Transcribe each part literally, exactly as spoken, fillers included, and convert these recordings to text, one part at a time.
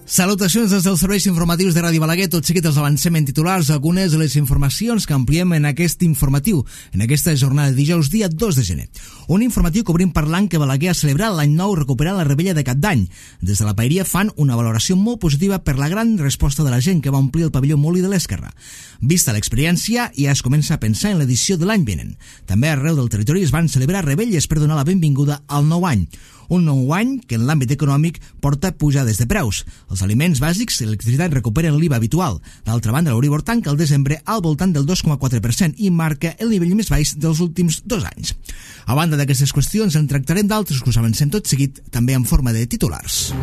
Salutacions des dels serveis informatius de Ràdio Balaguer. Tot seguit els avancem en titulars algunes de les informacions que ampliem en aquest informatiu, en aquesta jornada de dijous, dia dos de gener. Un informatiu que obrim parlant que Balaguer ha celebrat l'any nou recuperant la rebella de Cap d'Any. Des de la paeria fan una valoració molt positiva per la gran resposta de la gent que va omplir el pavelló Molí de l'Esquerra. Vista l'experiència, ja es comença a pensar en l'edició de l'any vinent. També arreu del territori es van celebrar rebelles per donar la benvinguda al nou any. Un nou any que en l'àmbit econòmic porta pujades de preus. Els aliments bàsics i l'electricitat recuperen l'I V A habitual. D'altra banda, l'Euribor tanca el desembre al voltant del dos coma quatre per cent i marca el nivell més baix dels últims dos anys. A banda d'aquestes qüestions, en tractarem d'altres que us avancem tot seguit, també en forma de titulars.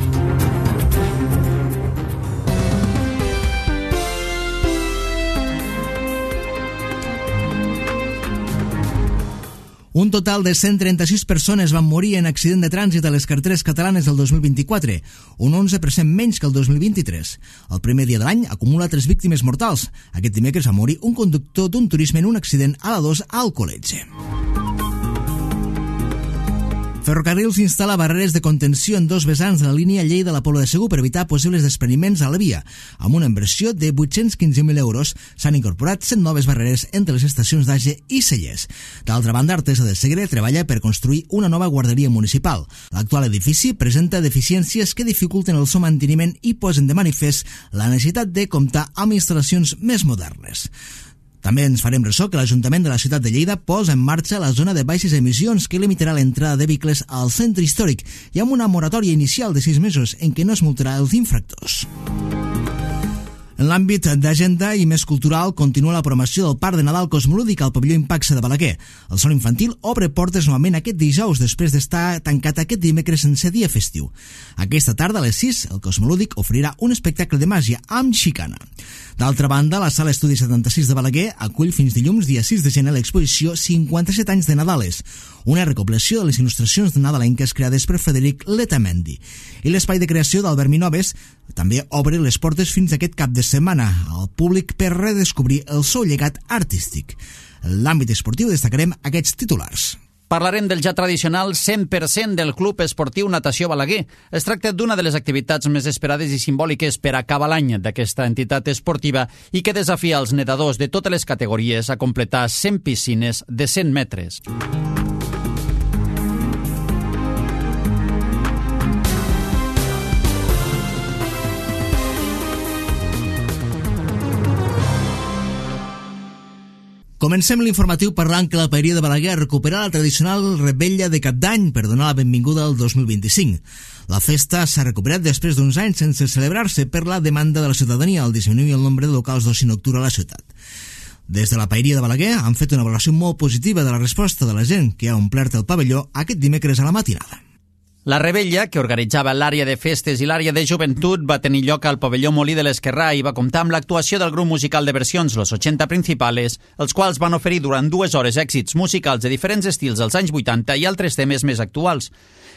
Un total de cent trenta-sis persones van morir en accident de trànsit a les carreteres catalanes el dos mil vint-i-quatre, un onze per cent menys que el dos mil vint-i-tres. El primer dia de l'any acumula tres víctimes mortals. Aquest dimecres va morir un conductor d'un turisme en un accident a la dos al Alcoletge. Ferrocarrils instal·la barreres de contenció en dos vessants de la línia Lleida-La Pobla de Segur per evitar possibles despreniments a la via. Amb una inversió de vuit-cents quinze mil euros s'han incorporat cent noves barreres entre les estacions d'Age i Cellers. D'altra banda, Artesa de Segre treballa per construir una nova guarderia municipal. L'actual edifici presenta deficiències que dificulten el seu manteniment i posen de manifest la necessitat de comptar amb instal·lacions més modernes. També ens farem ressò que l'Ajuntament de la ciutat de Lleida posa en marxa la zona de baixes emissions que limitarà l'entrada de vehicles al centre històric i amb una moratòria inicial de sis mesos en què no es multarà els infractors. En l'àmbit d'agenda i més cultural, continua la programació del Parc de Nadal Cosmolúdic al pavelló Impaxa de Balaguer. El Sol Infantil obre portes novament aquest dijous després d'estar tancat aquest dimecres sense dia festiu. Aquesta tarda a les sis, el Cosmolúdic oferirà un espectacle de màgia amb xicana. D'altra banda, la Sala Estudi setanta-sis de Balaguer acull fins dilluns, dia sis de gener, l'exposició cinquanta-set anys de Nadales, una recopilació de les il·lustracions de nadalenques creades per Frederic Letamendi. I l'espai de creació d'Albert Minoves també obre les portes fins aquest cap de setmana al públic per redescobrir el seu llegat artístic. En l'àmbit esportiu destacarem aquests titulars. Parlarem del ja tradicional cent per cent del Club Esportiu Natació Balaguer. Es tracta d'una de les activitats més esperades i simbòliques per acabar l'any d'aquesta entitat esportiva i que desafia els nedadors de totes les categories a completar cent piscines de cent metres. Comencem l'informatiu parlant que la paeria de Balaguer recuperarà la tradicional rebella de Cap d'Any per donar la benvinguda al dos mil vint-i-cinc. La festa s'ha recuperat després d'uns anys sense celebrar-se per la demanda de la ciutadania al disminuir el nombre de locals d'oci nocturn a la ciutat. Des de la paeria de Balaguer han fet una valoració molt positiva de la resposta de la gent que ha omplert el pavelló aquest dimecres a la matinada. La rebella, que organitzava l'àrea de festes i l'àrea de joventut, va tenir lloc al pavelló Molí de l'Esquerra i va comptar amb l'actuació del grup musical de versions Los ochenta Principales, els quals van oferir durant dues hores èxits musicals de diferents estils dels anys vuitanta i altres temes més actuals.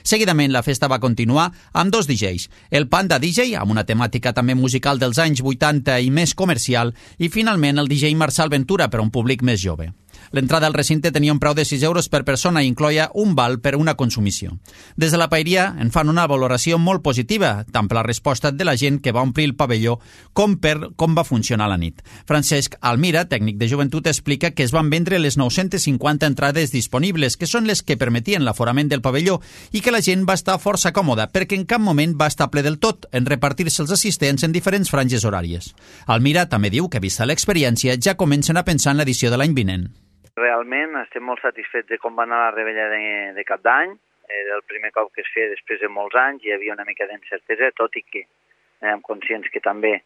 Seguidament, la festa va continuar amb dos D Js, el Panda D J, amb una temàtica també musical dels anys vuitanta i més comercial, i finalment el D J Marçal Ventura per a un públic més jove. L'entrada al recinte tenia un preu de sis euros per persona i incloia un val per una consumició. Des de la paeria en fan una valoració molt positiva, tant per la resposta de la gent que va omplir el pavelló com per com va funcionar la nit. Francesc Almira, tècnic de joventut, explica que es van vendre les nou-centes cinquanta entrades disponibles, que són les que permetien l'aforament del pavelló, i que la gent va estar força còmoda, perquè en cap moment va estar ple del tot, en repartir-se els assistents en diferents franges horàries. Almira també diu que, vista l'experiència, ja comencen a pensar en l'edició de l'any vinent. Realment estem molt satisfets de com va anar la rebella de, de Cap d'Any. Era el primer cop que es feia després de molts anys, hi havia una mica d'incertesa, tot i que érem conscients que també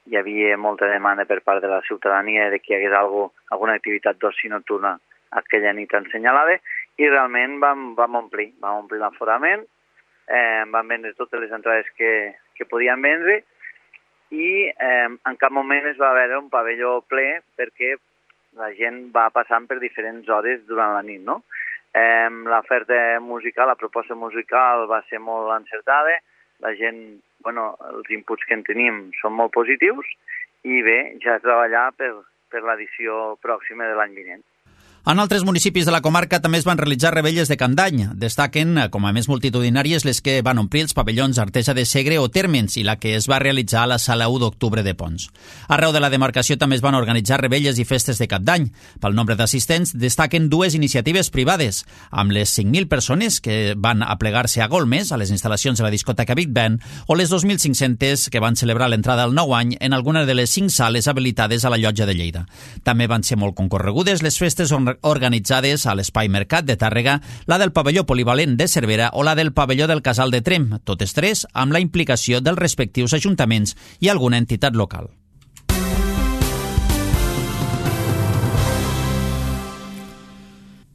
hi havia molta demanda per part de la ciutadania de que hi hagués algo, alguna activitat d'oci nocturna aquella nit assenyalada, i realment vam, vam omplir, vam omplir l'aforament, eh, vam vendre totes les entrades que, que podíem vendre, i eh, en cap moment es va veure un pavelló ple perquè la gent va passant per diferents hores durant la nit, no? Eh, l'oferta musical, la proposta musical va ser molt encertada, la gent, bueno, els inputs que en tenim són molt positius, i bé, ja treballar per, per l'edició pròxima de l'any vinent. En altres municipis de la comarca també es van realitzar revetlles de Can d'Any. Destaquen com a més multitudinàries les que van omplir els pavellons Artesa de Segre o Térmens i la que es va realitzar a la sala u d'octubre de Pons. Arreu de la demarcació també es van organitzar revetlles i festes de Cap d'Any. Pel nombre d'assistents destaquen dues iniciatives privades, amb les cinc mil persones que van aplegar-se a Golmes, a les instal·lacions de la discoteca Big Ben, o les dos mil cinc-centes que van celebrar l'entrada al nou any en alguna de les cinc sales habilitades a la Llotja de Lleida. També van ser molt concorregudes les festes organitzades a l'Espai Mercat de Tàrrega, la del pavelló polivalent de Cervera o la del pavelló del Casal de Trem, totes tres amb la implicació dels respectius ajuntaments i alguna entitat local.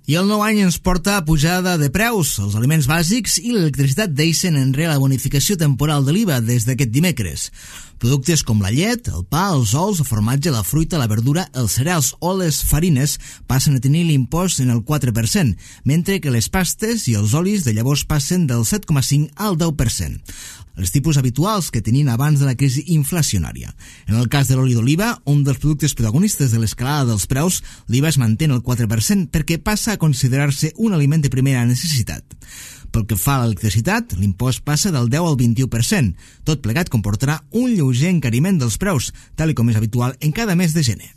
I el nou any ens porta a pujada de preus. Els aliments bàsics i l'electricitat deixen enrere la bonificació temporal de l'I V A des d'aquest dimecres. Productes com la llet, el pa, els ous, el formatge, la fruita, la verdura, els cereals o les farines passen a tenir l'impost en el quatre per cent, mentre que les pastes i els olis de llavors passen del set coma cinc al deu per cent. Els tipus habituals que tenien abans de la crisi inflacionària. En el cas de l'oli d'oliva, un dels productes protagonistes de l'escalada dels preus, l'I V A es manté en el quatre per cent perquè passa a considerar-se un aliment de primera necessitat. Pel que fa a l'electricitat, l'impost passa del deu al vint-i-u per cent. Tot plegat comportarà un lleuger encariment dels preus, tal com és habitual en cada mes de gener.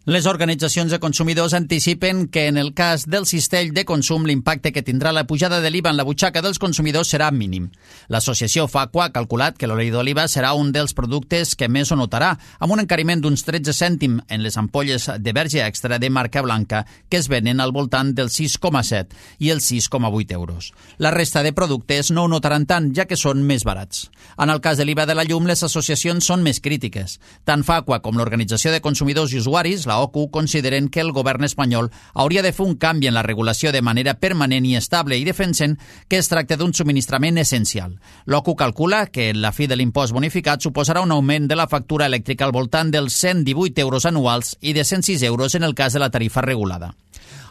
Les organitzacions de consumidors anticipen que en el cas del cistell de consum l'impacte que tindrà la pujada de l'I V A en la butxaca dels consumidors serà mínim. L'associació Facua ha calculat que l'oli d'oliva serà un dels productes que més ho notarà, amb un encariment d'uns tretze cèntim en les ampolles de verge extra de marca blanca que es venen al voltant del sis coma set i els sis coma vuit euros. La resta de productes no ho notaran tant, ja que són més barats. En el cas de l'I V A de la llum, les associacions són més crítiques. Tant Facua com l'Organització de Consumidors i Usuaris, la O C U, consideren que el govern espanyol hauria de fer un canvi en la regulació de manera permanent i estable i defensen que es tracta d'un subministrament essencial. L'O C U calcula que la fi de l'impost bonificat suposarà un augment de la factura elèctrica al voltant dels cent divuit euros anuals i de cent sis euros en el cas de la tarifa regulada.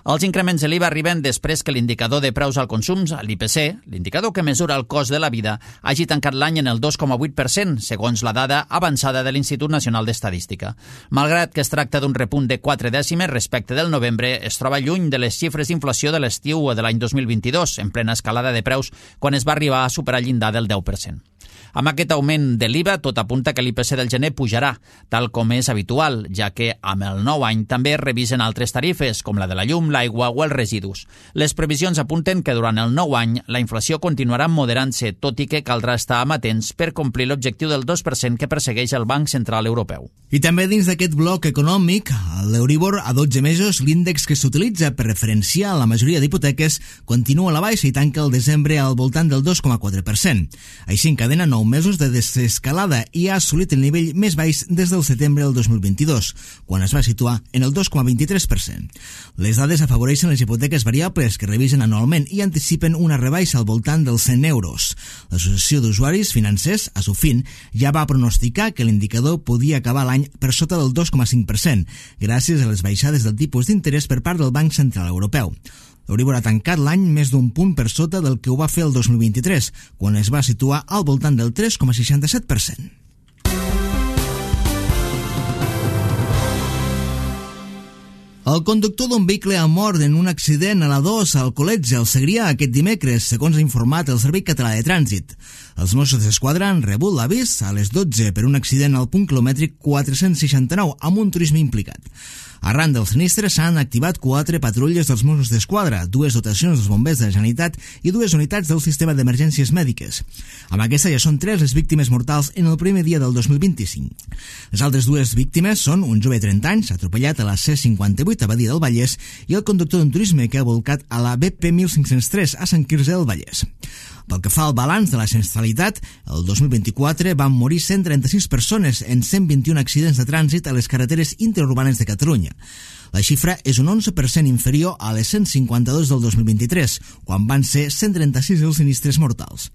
Els increments de l'I V A arriben després que l'indicador de preus al consum, l'I P C, l'indicador que mesura el cost de la vida, hagi tancat l'any en el dos coma vuit per cent, segons la dada avançada de l'Institut Nacional d'Estadística. Malgrat que es tracta d'un repunt de quatre dècimes respecte del novembre, es troba lluny de les xifres d'inflació de l'estiu de l'any dos mil vint-i-dos, en plena escalada de preus, quan es va arribar a superar el llindar del deu per cent. Amb aquest augment de l'I V A, tot apunta que l'I P C del gener pujarà, tal com és habitual, ja que amb el nou any també es revisen altres tarifes, com la de la llum, l'aigua o els residus. Les previsions apunten que durant el nou any la inflació continuarà moderant-se, tot i que caldrà estar amatents per complir l'objectiu del dos per cent que persegueix el Banc Central Europeu. I també dins d'aquest bloc econòmic, l'Euribor a dotze mesos, l'índex que s'utilitza per referenciar la majoria d'hipoteques, continua a la baixa i tanca el desembre al voltant del dos coma quatre per cent. Així encadena nou mesos de desescalada i ha assolit el nivell més baix des del setembre del dos mil vint-i-dos, quan es va situar en el dos coma vint-i-tres per cent. Les dades afavoreixen les hipoteques variables que revisen anualment i anticipen una rebaixa al voltant dels cent euros. L'Associació d'Usuaris Financers, Asufin, ja va pronosticar que l'indicador podia acabar l'any per sota del dos coma cinc per cent, gràcies a les baixades del tipus d'interès per part del Banc Central Europeu. L'Euribor ha tancat l'any més d'un punt per sota del que ho va fer el dos mil vint-i-tres, quan es va situar al voltant del tres coma seixanta-set per cent. El conductor d'un vehicle ha mort en un accident a la dos al Col·letge, al Segrià, aquest dimecres, segons ha informat el Servei Català de Trànsit. Els Mossos d'Esquadra han rebut l'avís a les dotze per un accident al punt quilomètric quatre-cents seixanta-nou amb un turisme implicat. Arran del sinistre s'han activat quatre patrulles dels Mossos d'Esquadra, dues dotacions dels bombers de la Generalitat i dues unitats del sistema d'emergències mèdiques. Amb aquesta ja són tres les víctimes mortals en el primer dia del dos mil vint-i-cinc. Les altres dues víctimes són un jove de trenta anys, atropellat a la C cinquanta-vuit a Badia del Vallès, i el conductor d'un turisme que ha volcat a la B P mil cinc-cents tres a Sant Quirze del Vallès. Pel que fa al balanç de la sinistralitat, el dos mil vint-i-quatre van morir cent trenta-sis persones en cent vint-i-un accidents de trànsit a les carreteres interurbanes de Catalunya. La xifra és un onze per cent inferior a les cent cinquanta-dos del dos mil vint-i-tres, quan van ser cent trenta-sis els sinistres mortals.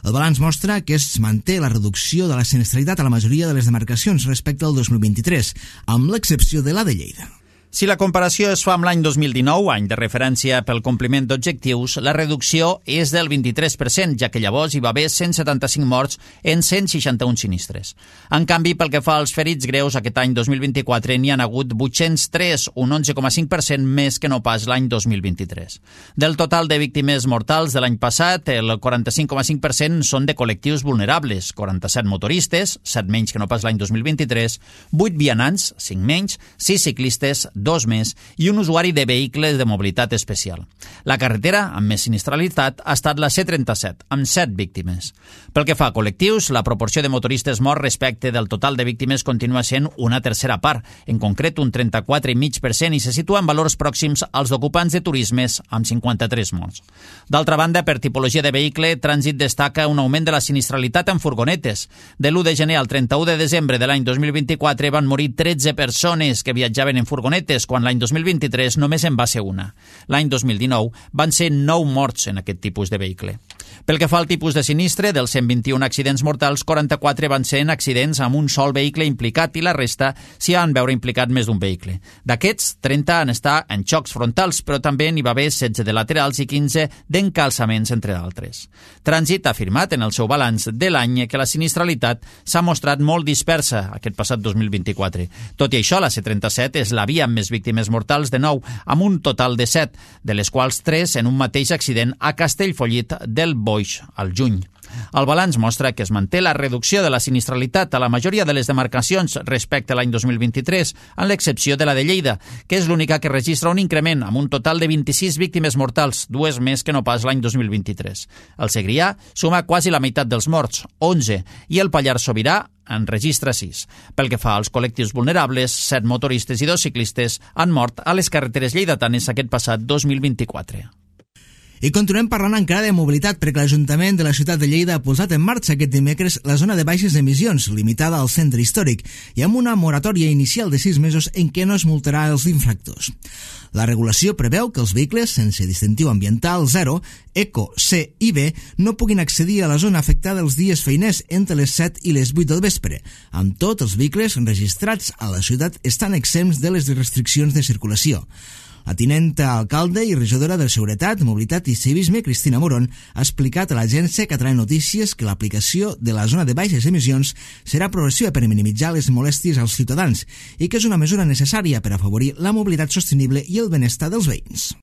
El balanç mostra que es manté la reducció de la sinistralitat a la majoria de les demarcacions respecte al dos mil vint-i-tres, amb l'excepció de la de Lleida. Si la comparació es fa amb l'any dos mil dinou, any de referència pel compliment d'objectius, la reducció és del vint-i-tres per cent, ja que llavors hi va haver cent setanta-cinc morts en cent seixanta-un sinistres. En canvi, pel que fa als ferits greus, aquest any dos mil vint-i-quatre n'hi han hagut vuit-cents tres, un onze coma cinc per cent més que no pas l'any dos mil vint-i-tres. Del total de víctimes mortals de l'any passat, el quaranta-cinc coma cinc per cent són de col·lectius vulnerables, quaranta-set motoristes, set menys que no pas l'any dos mil vint-i-tres, vuit vianants, cinc menys, sis ciclistes, dos més, i un usuari de vehicles de mobilitat especial. La carretera amb més sinistralitat ha estat la C trenta-set, amb set víctimes. Pel que fa a col·lectius, la proporció de motoristes morts respecte del total de víctimes continua sent una tercera part, en concret un trenta-quatre coma cinc per cent, i se situa en valors pròxims als d'ocupants de turismes, amb cinquanta-tres morts. D'altra banda, per tipologia de vehicle, Trànsit destaca un augment de la sinistralitat en furgonetes. De l'u de gener al trenta-u de desembre de l'any dos mil vint-i-quatre van morir tretze persones que viatjaven en furgonetes, quan l'any dos mil vint-i-tres només en va ser una. L'any dos mil dinou van ser nou morts en aquest tipus de vehicle. Pel que fa al tipus de sinistre, dels cent vint-i-un accidents mortals, quaranta-quatre van ser en accidents amb un sol vehicle implicat i la resta s'hi han veure implicat més d'un vehicle. D'aquests, trenta han estat en xocs frontals, però també n'hi va haver setze de laterals i quinze d'encalçaments, entre d'altres. Trànsit ha afirmat en el seu balanç de l'any que la sinistralitat s'ha mostrat molt dispersa aquest passat dos mil vint-i-quatre. Tot i això, la C trenta-set és la via amb més víctimes mortals de nou, amb un total de set, de les quals tres en un mateix accident a Castellfollit del Boix, al juny. El balanç mostra que es manté la reducció de la sinistralitat a la majoria de les demarcacions respecte a l'any dos mil vint-i-tres, amb l'excepció de la de Lleida, que és l'única que registra un increment amb un total de vint-i-sis víctimes mortals, dues més que no pas l'any dos mil vint-i-tres. El Segrià suma quasi la meitat dels morts, onze, i el Pallars Sobirà en registra sis. Pel que fa als col·lectius vulnerables, set motoristes i dos ciclistes han mort a les carreteres lleidatanes aquest passat dos mil vint-i-quatre. I continuem parlant encara de mobilitat, perquè l'Ajuntament de la ciutat de Lleida ha posat en marxa aquest dimecres la zona de baixes emissions, limitada al centre històric, i amb una moratòria inicial de sis mesos en què no es multarà els infractors. La regulació preveu que els vehicles sense distintiu ambiental zero, Eco, C i B no puguin accedir a la zona afectada els dies feiners entre les set i les vuit del vespre. Amb tot, els vehicles registrats a la ciutat estan exempts de les restriccions de circulació. La tinenta alcalde i regidora de Seguretat, Mobilitat i Civisme, Cristina Moron, ha explicat a l'agència Catalana Notícies que l'aplicació de la zona de baixes emissions serà progressiva per minimitzar les molèsties als ciutadans i que és una mesura necessària per afavorir la mobilitat sostenible i el benestar dels veïns.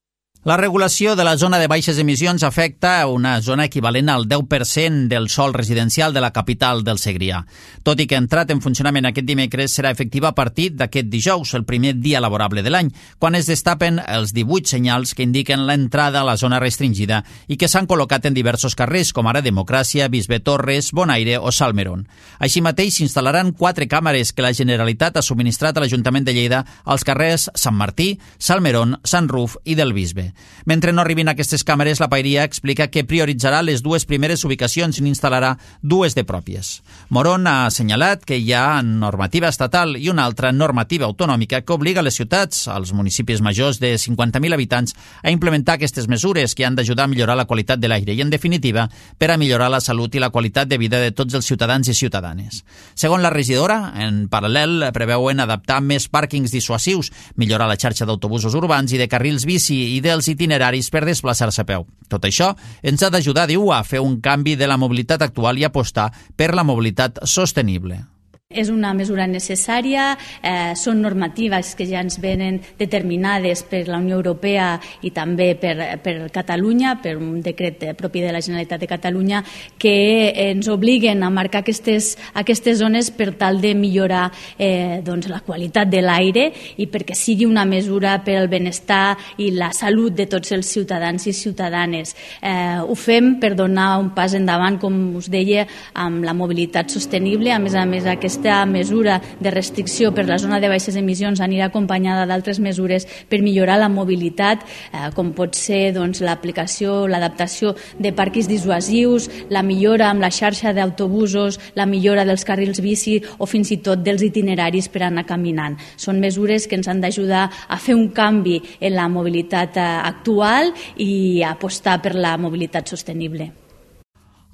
La regulació de la zona de baixes emissions afecta una zona equivalent al deu per cent del sòl residencial de la capital del Segrià. Tot i que ha entrat en funcionament aquest dimecres, serà efectiva a partir d'aquest dijous, el primer dia laborable de l'any, quan es destapen els divuit senyals que indiquen l'entrada a la zona restringida i que s'han col·locat en diversos carrers, com ara Democràcia, Bisbe Torres, Bonaire o Salmerón. Així mateix, s'instal·laran quatre càmeres que la Generalitat ha subministrat a l'Ajuntament de Lleida als carrers Sant Martí, Salmerón, Sant Ruf i del Bisbe. Mentre no arribin aquestes càmeres, la Paeria explica que prioritzarà les dues primeres ubicacions i n'instal·larà dues de pròpies. Moron ha assenyalat que hi ha normativa estatal i una altra normativa autonòmica que obliga les ciutats, als municipis majors de cinquanta mil habitants, a implementar aquestes mesures que han d'ajudar a millorar la qualitat de l'aire i, en definitiva, per a millorar la salut i la qualitat de vida de tots els ciutadans i ciutadanes. Segons la regidora, en paral·lel preveuen adaptar més pàrquings dissuasius, millorar la xarxa d'autobusos urbans i de carrils bici i dels itineraris per desplaçar-se a peu. Tot això ens ha d'ajudar, diu, a fer un canvi de la mobilitat actual i apostar per la mobilitat sostenible. És una mesura necessària, eh, són normatives que ja ens venen determinades per la Unió Europea i també per, per Catalunya, per un decret propi de la Generalitat de Catalunya, que ens obliguen a marcar aquestes, aquestes zones per tal de millorar eh, doncs, la qualitat de l'aire i perquè sigui una mesura per al benestar i la salut de tots els ciutadans i ciutadanes. Eh, ho fem per donar un pas endavant, com us deia, amb la mobilitat sostenible. A més a més, aquesta Aquesta mesura de restricció per la zona de baixes emissions anirà acompanyada d'altres mesures per millorar la mobilitat, eh, com pot ser doncs, l'aplicació, l'adaptació de parquis dissuasius, la millora amb la xarxa d'autobusos, la millora dels carrils bici o fins i tot dels itineraris per anar caminant. Són mesures que ens han d'ajudar a fer un canvi en la mobilitat actual i a apostar per la mobilitat sostenible.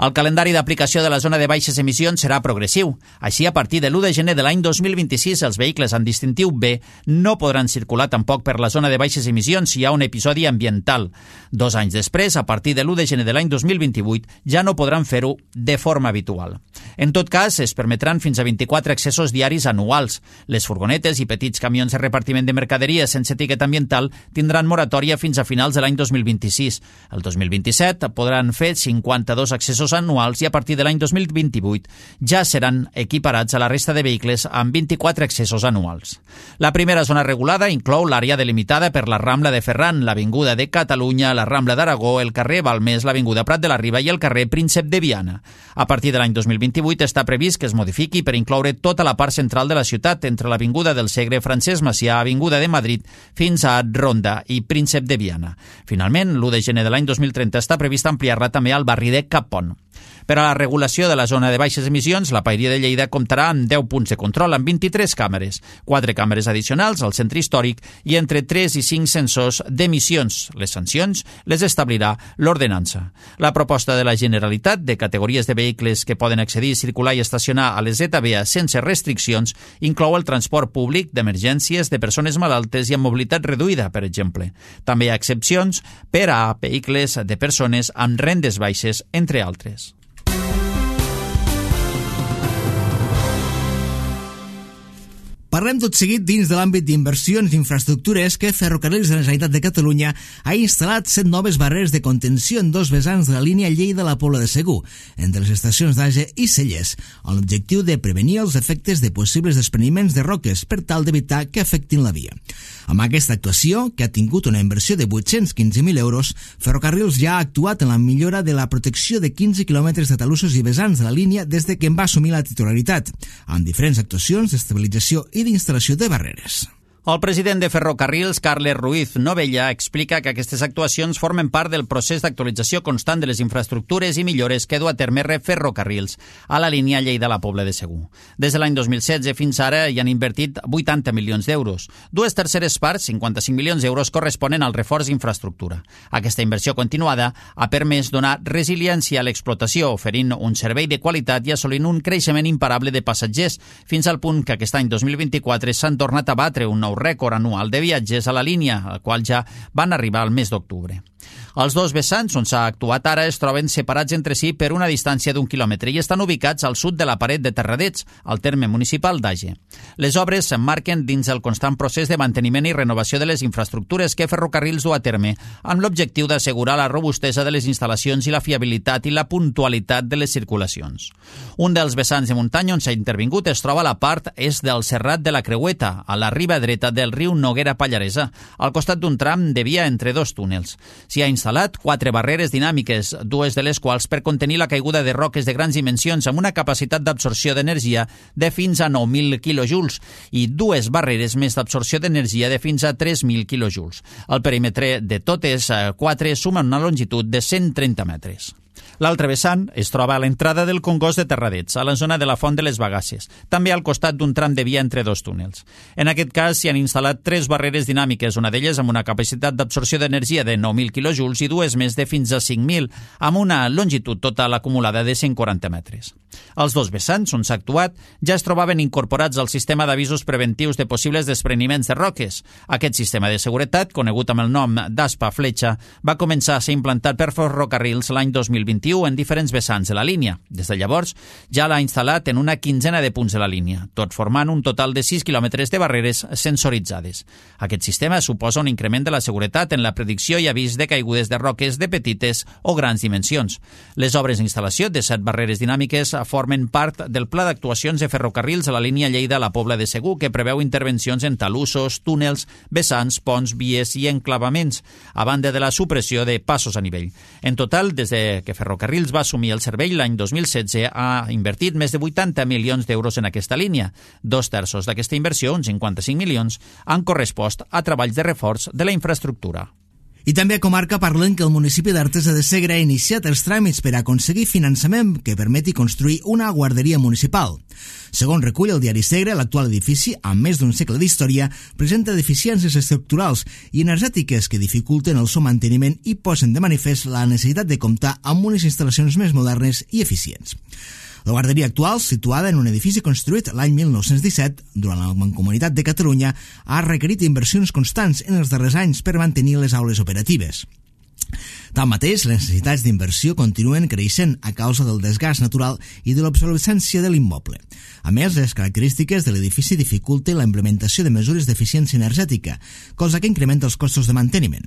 El calendari d'aplicació de la zona de baixes emissions serà progressiu. Així, a partir de l'u de gener de l'any dos mil vint-i-sis, els vehicles amb distintiu B no podran circular tampoc per la zona de baixes emissions si hi ha un episodi ambiental. Dos anys després, a partir de l'u de gener de l'any dos mil vint-i-vuit, ja no podran fer-ho de forma habitual. En tot cas, es permetran fins a vint-i-quatre accessos diaris anuals. Les furgonetes i petits camions de repartiment de mercaderies sense etiqueta ambiental tindran moratòria fins a finals de l'any dos mil vint-i-sis. El dos mil vint-i-set podran fer cinquanta-dos accessos anuals i a partir de l'any dos mil vint-i-vuit ja seran equiparats a la resta de vehicles amb vint-i-quatre accessos anuals. La primera zona regulada inclou l'àrea delimitada per la Rambla de Ferran, l'Avinguda de Catalunya, la Rambla d'Aragó, el carrer Balmés, l'Avinguda Prat de la Riba i el carrer Príncep de Viana. A partir de l'any dos mil vint-i-vuit està previst que es modifiqui per incloure tota la part central de la ciutat entre l'Avinguda del Segre, Francesc Macià, Avinguda de Madrid fins a Ronda i Príncep de Viana. Finalment, l'u de gener de l'any dos mil trenta està previst ampliar-la també al barri de Capon. Per a la regulació de la zona de baixes emissions, la Paeria de Lleida comptarà amb deu punts de control amb vint-i-tres càmeres, quatre càmeres addicionals al centre històric i entre tres i cinc sensors d'emissions. Les sancions les establirà l'ordenança. La proposta de la Generalitat de categories de vehicles que poden accedir, circular i estacionar a les Z B A sense restriccions inclou el transport públic d'emergències de persones malaltes i amb mobilitat reduïda, per exemple. També hi ha excepcions per a vehicles de persones amb rendes baixes, entre altres. Parlem tot seguit dins de l'àmbit d'inversions i infraestructures que Ferrocarrils de la Generalitat de Catalunya ha instal·lat set noves barreres de contenció en dos vessants de la línia Lleida-La Pobla de Segur, entre les estacions d'Age i Cellers, amb l'objectiu de prevenir els efectes de possibles despreniments de roques per tal d'evitar que afectin la via. Amb aquesta actuació, que ha tingut una inversió de vuit-cents quinze mil euros, Ferrocarrils ja ha actuat en la millora de la protecció de quinze quilòmetres de talussos i vessants de la línia des de que en va assumir la titularitat, amb diferents actuacions d'estabilització i d'instal·lació de barreres. El president de Ferrocarrils, Carles Ruiz Novella, explica que aquestes actuacions formen part del procés d'actualització constant de les infraestructures i millores que du a terme Ferrocarrils a la línia Lleida-La Pobla de Segur. Des de l'any dos mil setze fins ara hi han invertit vuitanta milions d'euros. Dues terceres parts, cinquanta-cinc milions d'euros, corresponen al reforç d'infraestructura. Aquesta inversió continuada ha permès donar resiliència a l'explotació, oferint un servei de qualitat i assolint un creixement imparable de passatgers, fins al punt que aquest any dos mil vint-i-quatre s'han tornat a batre un nou rècord anual de viatges a la línia, al qual ja van arribar al mes d'octubre. Els dos vessants on s'ha actuat ara es troben separats entre si per una distància d'un quilòmetre i estan ubicats al sud de la paret de Terradets, al terme municipal d'Age. Les obres s'emmarquen dins el constant procés de manteniment i renovació de les infraestructures que Ferrocarrils du a terme, amb l'objectiu d'assegurar la robustesa de les instal·lacions i la fiabilitat i la puntualitat de les circulacions. Un dels vessants de muntanya on s'ha intervingut es troba a la part est del Serrat de la Creueta, a la riba dreta del riu Noguera Pallaresa, al costat d'un tram de via entre dos túnels. S'hi ha instal·lat quatre barreres dinàmiques, dues de les quals per contenir la caiguda de roques de grans dimensions amb una capacitat d'absorció d'energia de fins a nou mil quilojoules i dues barreres més d'absorció d'energia de fins a tres mil quilojoules. El perímetre de totes quatre suma una longitud de cent trenta metres. L'altre vessant es troba a l'entrada del Congost de Terradets, a la zona de la Font de les Bagasses, també al costat d'un tram de via entre dos túnels. En aquest cas s'hi han instal·lat tres barreres dinàmiques, una d'elles amb una capacitat d'absorció d'energia de nou mil quilojoules i dues més de fins a cinc mil, amb una longitud total acumulada de cent quaranta metres. Els dos vessants on s'ha actuat ja es trobaven incorporats al sistema d'avisos preventius de possibles despreniments de roques. Aquest sistema de seguretat, conegut amb el nom d'Aspa Fletxa, va començar a ser implantat per Ferrocarrils l'any dos mil vint-i-u en diferents vessants de la línia. Des de llavors ja l'ha instal·lat en una quinzena de punts de la línia, tot formant un total de sis quilòmetres de barreres sensoritzades. Aquest sistema suposa un increment de la seguretat en la predicció i avís de caigudes de roques de petites o grans dimensions. Les obres d'instal·lació de set barreres dinàmiques formen part del pla d'actuacions de Ferrocarrils a la línia Lleida-La Pobla de Segur, que preveu intervencions en talussos, túnels, vessants, ponts, vies i enclavaments, a banda de la supressió de passos a nivell. En total, des de que Ferrocarrils va assumir el servei l'any dos mil setze, ha invertit més de vuitanta milions d'euros en aquesta línia. Dos terços d'aquesta inversió, uns cinquanta-cinc milions, han correspost a treballs de reforç de la infraestructura. I també a comarca parlen que el municipi d'Artesa de Segre ha iniciat els tràmits per aconseguir finançament que permeti construir una guarderia municipal. Segons recull el diari Segre, l'actual edifici, amb més d'un segle d'història, presenta deficiències estructurals i energètiques que dificulten el seu manteniment i posen de manifest la necessitat de comptar amb unes instal·lacions més modernes i eficients. La guarderia actual, situada en un edifici construït l'any mil nou-cents disset, durant la Mancomunitat de Catalunya, ha requerit inversions constants en els darrers anys per mantenir les aules operatives. Tanmateix, les necessitats d'inversió continuen creixent a causa del desgast natural i de l'obsolescència de l'immoble. A més, les característiques de l'edifici dificulten la implementació de mesures d'eficiència energètica, cosa que incrementa els costos de manteniment.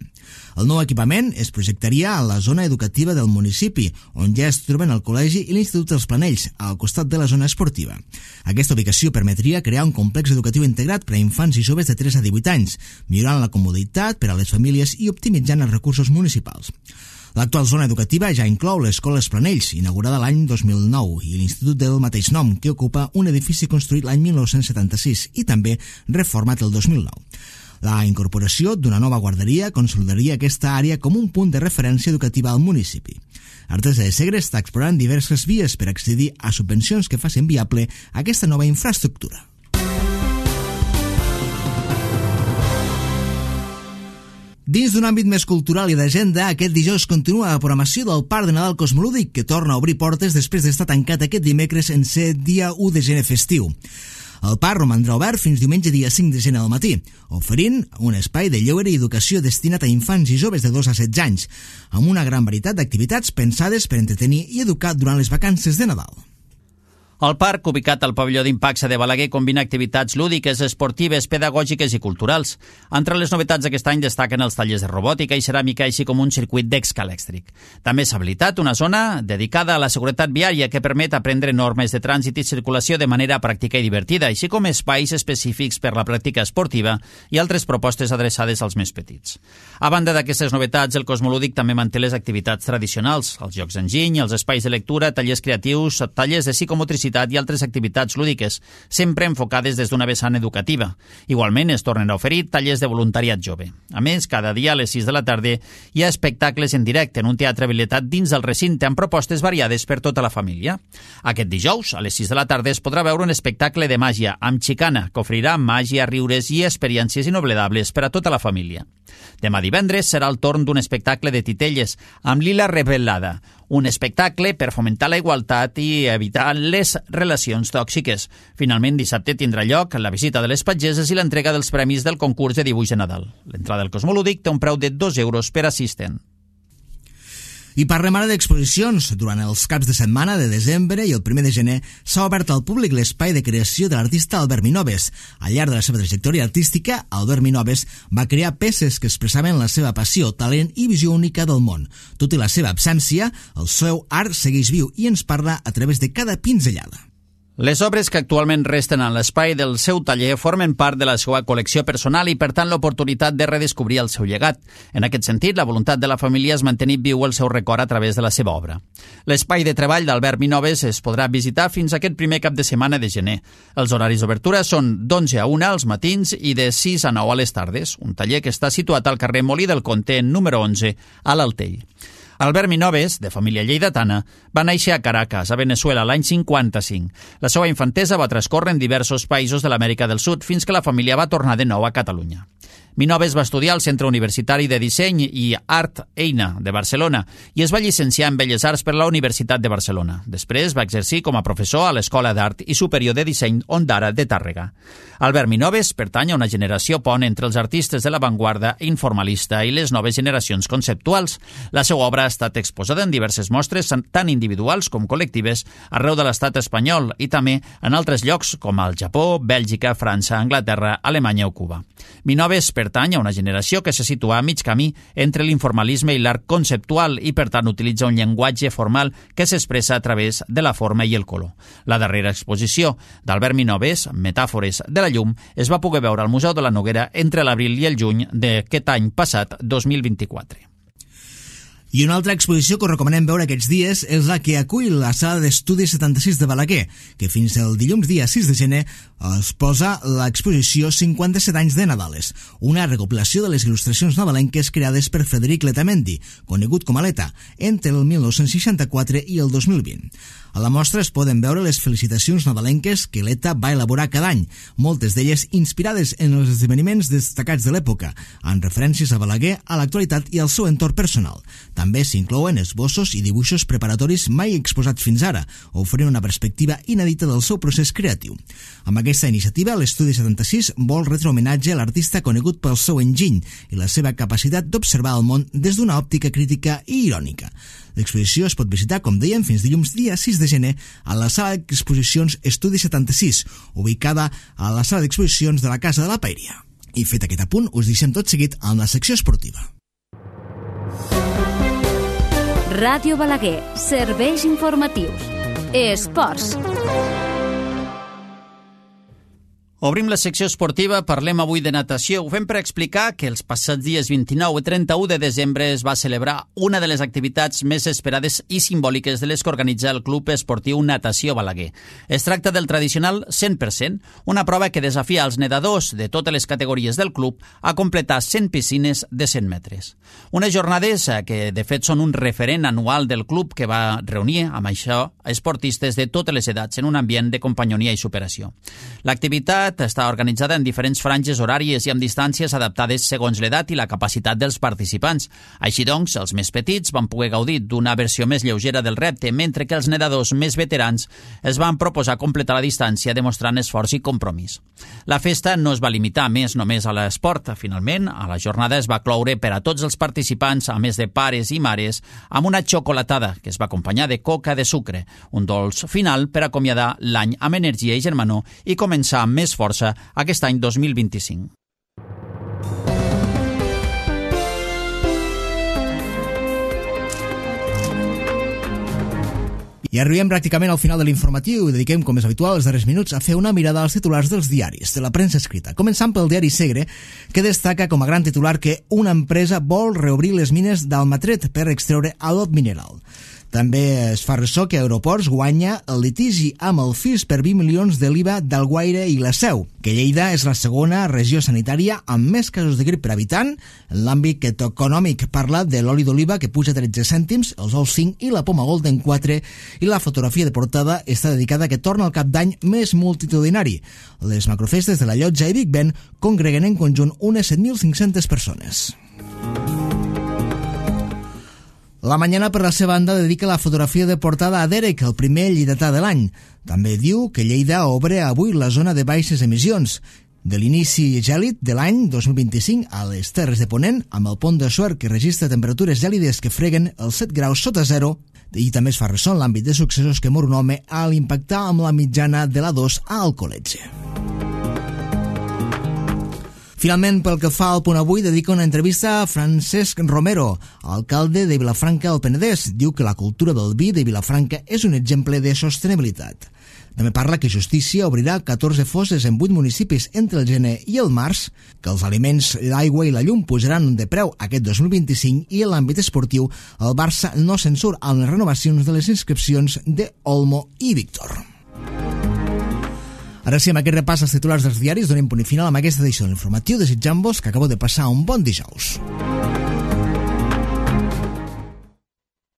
El nou equipament es projectaria a la zona educativa del municipi, on ja es troben el col·legi i l'Institut dels Planells, al costat de la zona esportiva. Aquesta ubicació permetria crear un complex educatiu integrat per a infants i joves de tres a divuit anys, millorant la comoditat per a les famílies i optimitzant els recursos municipals. L'actual zona educativa ja inclou l'Escola Els Planells, inaugurada l'any dos mil nou, i l'Institut del mateix nom, que ocupa un edifici construït l'any mil nou-cents setanta-sis i també reformat el dos mil nou. La incorporació d'una nova guarderia consolidaria aquesta àrea com un punt de referència educativa al municipi. Artesa de Segre està explorant diverses vies per accedir a subvencions que facin viable aquesta nova infraestructura. Dins d'un àmbit més cultural i d'agenda, aquest dijous continua la programació del Parc de Nadal Cosmolúdic, que torna a obrir portes després d'estar tancat aquest dimecres en ser dia u de gener festiu. El parc romandrà obert fins diumenge dia cinc de gener al matí, oferint un espai de lleure i educació destinat a infants i joves de dos a setze anys, amb una gran varietat d'activitats pensades per entretenir i educar durant les vacances de Nadal. El parc, ubicat al pavelló d'Impacsa de Balaguer, combina activitats lúdiques, esportives, pedagògiques i culturals. Entre les novetats d'aquest any destaquen els tallers de robòtica i ceràmica, així com un circuit d'escalèxtric. També s'ha habilitat una zona dedicada a la seguretat viària que permet aprendre normes de trànsit i circulació de manera pràctica i divertida, així com espais específics per la pràctica esportiva i altres propostes adreçades als més petits. A banda d'aquestes novetats, el Cosmolúdic també manté les activitats tradicionals, els jocs d'enginy, els espais de lectura, tallers creatius, tallers de psicomotricitat i altres activitats lúdiques, sempre enfocades des d'una vessant educativa. Igualment es tornen a oferir tallers de voluntariat jove. A més, cada dia a les sis de la tarda hi ha espectacles en directe en un teatre habilitat dins del recinte amb propostes variades per tota la família. Aquest dijous, a les sis de la tarda, es podrà veure un espectacle de màgia amb xicana que ofrirà màgia, riures i experiències inoblidables per a tota la família. Demà divendres serà el torn d'un espectacle de titelles amb Lila Revelada, un espectacle per fomentar la igualtat i evitar les relacions tòxiques. Finalment, dissabte tindrà lloc la visita de les pageses i l'entrega dels premis del concurs de dibuix de Nadal. L'entrada al Cosmolúdic té un preu de dos euros per assistent. I parlem ara d'exposicions. Durant els caps de setmana de desembre i el primer de gener s'ha obert al públic l'espai de creació de l'artista Albert Minoves. Al llarg de la seva trajectòria artística, Albert Minoves va crear peces que expressaven la seva passió, talent i visió única del món. Tot i la seva absència, el seu art segueix viu i ens parla a través de cada pinzellada. Les obres que actualment resten en l'espai del seu taller formen part de la seva col·lecció personal i, per tant, l'oportunitat de redescobrir el seu llegat. En aquest sentit, la voluntat de la família és mantenir viu el seu record a través de la seva obra. L'espai de treball d'Albert Minoves es podrà visitar fins aquest primer cap de setmana de gener. Els horaris d'obertura són d'onze a una als matins i de sis a nou a les tardes, un taller que està situat al carrer Molí del Conte, número onze, a l'Altell. Albert Minoves, de família lleidatana, va néixer a Caracas, a Venezuela, l'any cinquanta-cinc. La seva infantesa va transcórrer en diversos països de l'Amèrica del Sud fins que la família va tornar de nou a Catalunya. Minoves va estudiar al Centre Universitari de Disseny i Art Eina de Barcelona i es va llicenciar en Belles Arts per la Universitat de Barcelona. Després va exercir com a professor a l'Escola d'Art i Superior de Disseny Ondara de Tàrrega. Albert Minoves pertany a una generació pont entre els artistes de l'avantguarda informalista i les noves generacions conceptuals. La seva obra ha estat exposada en diverses mostres, tant individuals com col·lectives, arreu de l'estat espanyol i també en altres llocs com al Japó, Bèlgica, França, Anglaterra, Alemanya o Cuba. Minoves pertany a una generació que se situa a mig camí entre l'informalisme i l'art conceptual i, per tant, utilitza un llenguatge formal que s'expressa a través de la forma i el color. La darrera exposició d'Albert Minoves, Metàfores de la llum, es va poder veure al Museu de la Noguera entre l'abril i el juny d'aquest any passat, dos mil vint-i-quatre. I una altra exposició que us recomanem veure aquests dies és la que acull la Sala d'Estudis setanta-sis de Balaguer, que fins el dilluns dia sis de gener es posa l'exposició cinquanta-set anys de Nadales, una recopilació de les il·lustracions nadalenques creades per Frederic Letamendi, conegut com a Leta, entre el mil nou-cents seixanta-quatre i el dos mil vint. A la mostra es poden veure les felicitacions nadalenques que Leta va elaborar cada any, moltes d'elles inspirades en els esdeveniments destacats de l'època, amb referències a Balaguer, a l'actualitat i al seu entorn personal. També s'inclouen esbossos i dibuixos preparatoris mai exposats fins ara, oferint una perspectiva inèdita del seu procés creatiu. Amb aquesta iniciativa, l'Estudi setanta-sis vol retre homenatge a l'artista conegut pel seu enginy i la seva capacitat d'observar el món des d'una òptica crítica i irònica. L'exposició es pot visitar, com dèiem, fins dilluns dia sis de gener a la sala d'exposicions Estudi setanta-sis, ubicada a la sala d'exposicions de la Casa de la Paeria. I fet aquest apunt, us deixem tot seguit amb la secció esportiva. Ràdio Balaguer, serveis informatius. Esports. Obrim la secció esportiva, parlem avui de natació. Ho fem per explicar que els passats dies vint-i-nou i trenta-u de desembre es va celebrar una de les activitats més esperades i simbòliques de les que organitza el Club Esportiu Natació Balaguer. Es tracta del tradicional cent per cent, una prova que desafia els nedadors de totes les categories del club a completar cent piscines de cent metres. Unes jornades que, de fet, són un referent anual del club que va reunir, amb això, esportistes de totes les edats en un ambient de companyonia i superació. L'activitat està organitzada en diferents franges horàries i amb distàncies adaptades segons l'edat i la capacitat dels participants. Així doncs, els més petits van poder gaudir d'una versió més lleugera del repte, mentre que els nedadors més veterans es van proposar completar la distància demostrant esforç i compromís. La festa no es va limitar més només a l'esport. Finalment, a la jornada es va cloure per a tots els participants, a més de pares i mares, amb una xocolatada que es va acompanyar de coca de sucre, un dolç final per acomiadar l'any amb energia i germanor i començar amb més força aquest any dos mil vint-i-cinc. I arribem pràcticament al final de l'informatiu i dediquem, com és habitual, els darrers minuts a fer una mirada als titulars dels diaris, de la premsa escrita. Començant pel diari Segre, que destaca com a gran titular que una empresa vol reobrir les mines d'Almatret per extreure adob mineral. També es fa ressò que Aeroports guanya el litigi amb el F I S per vint milions de l'I V A d'Alguaire i la Seu, que Lleida és la segona regió sanitària amb més casos de grip per habitant. En l'àmbit econòmic parla de l'oli d'oliva que puja tretze cèntims, els ous cinc i la poma golden quatre, i la fotografia de portada està dedicada a que torna el cap d'any més multitudinari. Les macrofestes de la Llotja i Big Ben congreguen en conjunt unes set mil cinc-centes persones. La Mañana, per la seva banda, dedica la fotografia de portada a Derek, el primer lleidatà de l'any. També diu que Lleida obre avui la zona de baixes emissions. De l'inici gèlid de l'any dos mil vint-i-cinc a les Terres de Ponent, amb el pont de Suert que registra temperatures gèlides que freguen els set graus sota zero, i també es fa ressò en l'àmbit de successos que mor un home a l'impactar amb la mitjana de la dos a Alcoletge. Finalment, pel que fa al Punt Avui, dedica una entrevista a Francesc Romero, alcalde de Vilafranca del Penedès. Diu que la cultura del vi de Vilafranca és un exemple de sostenibilitat. També parla que Justícia obrirà catorze fosses en vuit municipis entre el gener i el març, que els aliments, l'aigua i la llum pujaran de preu aquest dos mil vint-i-cinc i en l'àmbit esportiu el Barça no se'n surt amb les renovacions de les inscripcions de Olmo i Víctor. Ara sí, amb aquest repàs als titulars dels diaris, donem punt i final amb aquesta edició de l'informatiu, desitjant-vos que acabeu de passar un bon dijous.